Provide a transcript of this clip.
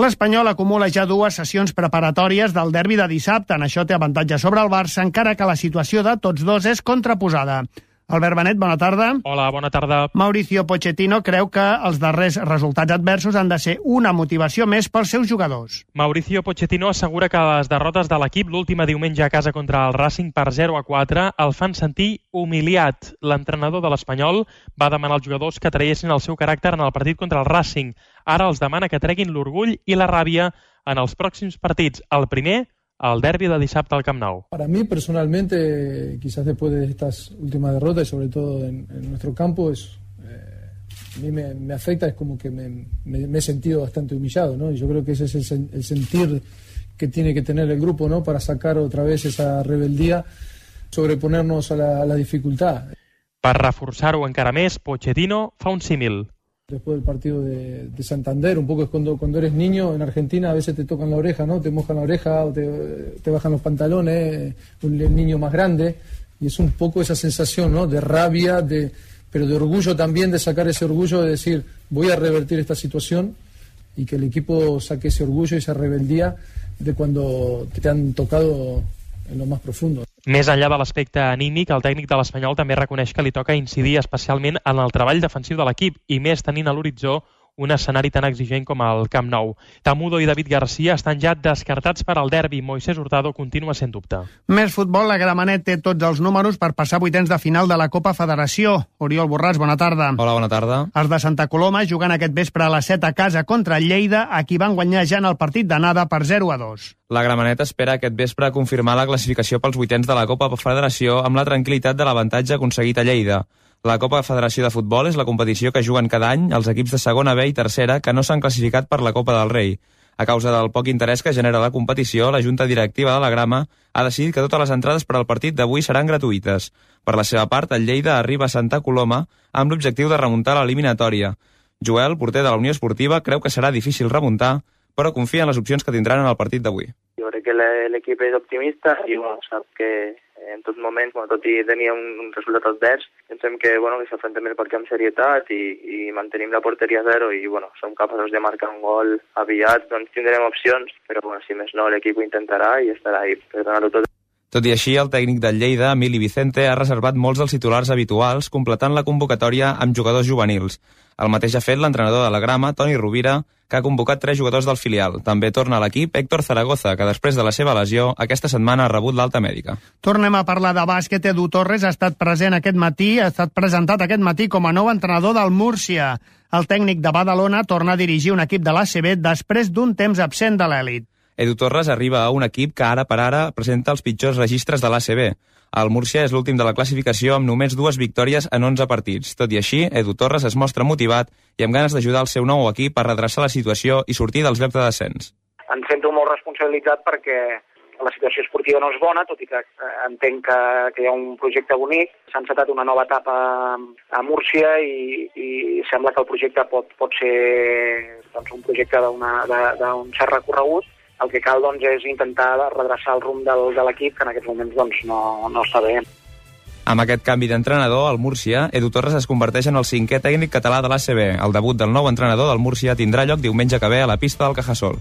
L'Espanyol acumula ja 2 sessions preparatòries del derbi de dissabte. En això té avantatge sobre el Barça, encara que la situació de tots dos és contraposada. Albert Benet, bona tarda. Hola, bona tarda. Mauricio Pochettino creu que els darrers resultats adversos han de ser una motivació més pels seus jugadors. Mauricio Pochettino assegura que les derrotes de l'equip l'última diumenge a casa contra el Racing per 0-4 el fan sentir humiliat. L'entrenador de l'Espanyol va demanar als jugadors que traiessin el seu caràcter en el partit contra el Racing. Ara els demana que treguin l'orgull i la ràbia en els pròxims partits. El primer, el derbi de dissabte al Camp Nou. Para mí, personalmente, quizás después de estas últimas derrotas, y sobre todo en nuestro campo, a mí me afecta, es como que me he sentido bastante humillado, ¿no? Y yo creo que ese es el sentir que tiene que tener el grupo, ¿no? Para sacar otra vez esa rebeldía, sobreponernos a la dificultad. Per reforçar-ho encara més, Pochettino fa un símil. Después del partido de Santander, un poco es cuando eres niño en Argentina, a veces te tocan la oreja, ¿no? Te mojan la oreja o te bajan los pantalones, el niño más grande, y es un poco esa sensación, ¿no? De rabia, pero de orgullo también, de sacar ese orgullo, de decir, voy a revertir esta situación, y que el equipo saque ese orgullo y esa rebeldía de cuando te han tocado en lo más profundo. Més enllà de l'aspecte anímic, el tècnic de l'Espanyol també reconeix que li toca incidir especialment en el treball defensiu de l'equip i més tenint a l'horitzó un escenari tan exigent com el Camp Nou. Tamudo i David Garcia estan ja descartats per al derbi. Moisés Hurtado continua sent dubte. Més futbol, la Gramenet té tots els números per passar a vuitens de final de la Copa Federació. Oriol Borràs, bona tarda. Hola, bona tarda. Els de Santa Coloma jugant aquest vespre a les 7 a casa contra el Lleida, a qui van guanyar ja en el partit d'anada per 0-2. La Gramenet espera aquest vespre confirmar la classificació pels vuitens de la Copa Federació amb la tranquil·litat de l'avantatge aconseguit a Lleida. La Copa Federació de Futbol és la competició que juguen cada any els equips de segona B i tercera que no s'han classificat per la Copa del Rei. A causa del poc interès que genera la competició, la Junta Directiva de la Grama ha decidit que totes les entrades per al partit d'avui seran gratuïtes. Per la seva part, el Lleida arriba a Santa Coloma amb l'objectiu de remuntar l'eliminatòria. Joel, porter de la Unió Esportiva, creu que serà difícil remuntar, però confia en les opcions que tindran en el partit d'avui. Jo crec que l'equip és optimista i sap que en tot moment, tot i tenir un resultat advers, pensem que s'afrontem el partit amb serietat i mantenim la porteria a 0 i som capaços de marcar un gol aviat, doncs tindrem opcions, però si més no l'equip ho intentarà i estarà ahí per donar-ho tot. Tot i així, el tècnic del Lleida, Emili Vicente, ha reservat molts dels titulars habituals, completant la convocatòria amb jugadors juvenils. El mateix ha fet l'entrenador de la Grama, Toni Rovira, que ha convocat 3 jugadors del filial. També torna a l'equip Héctor Zaragoza, que després de la seva lesió, aquesta setmana ha rebut l'alta mèdica. Tornem a parlar de bàsquet. Edu Torres ha estat present aquest matí, ha estat presentat aquest matí com a nou entrenador del Múrcia. El tècnic de Badalona torna a dirigir un equip de l'ACB després d'un temps absent de l'elit. Edu Torres arriba a un equip que ara per ara presenta els pitjors registres de l'ACB. El Múrcia és l'últim de la classificació amb només 2 victòries en 11 partits. Tot i així, Edu Torres es mostra motivat i amb ganes d'ajudar el seu nou equip a redreçar la situació i sortir dels llocs de descens. Em sento molt responsabilitzat perquè la situació esportiva no és bona, tot i que entenc que hi ha un projecte bonic. S'ha encetat una nova etapa a Múrcia i sembla que el projecte pot ser un projecte d'un cert recorregut. El que cal és intentar redreçar el rumb de l'equip, que en aquests moments no està bé. Amb aquest canvi d'entrenador, al Múrcia, Edu Torres es converteix en el 5è tècnic català de l'ACB. El debut del nou entrenador del Múrcia tindrà lloc diumenge que ve a la pista del Cajasol.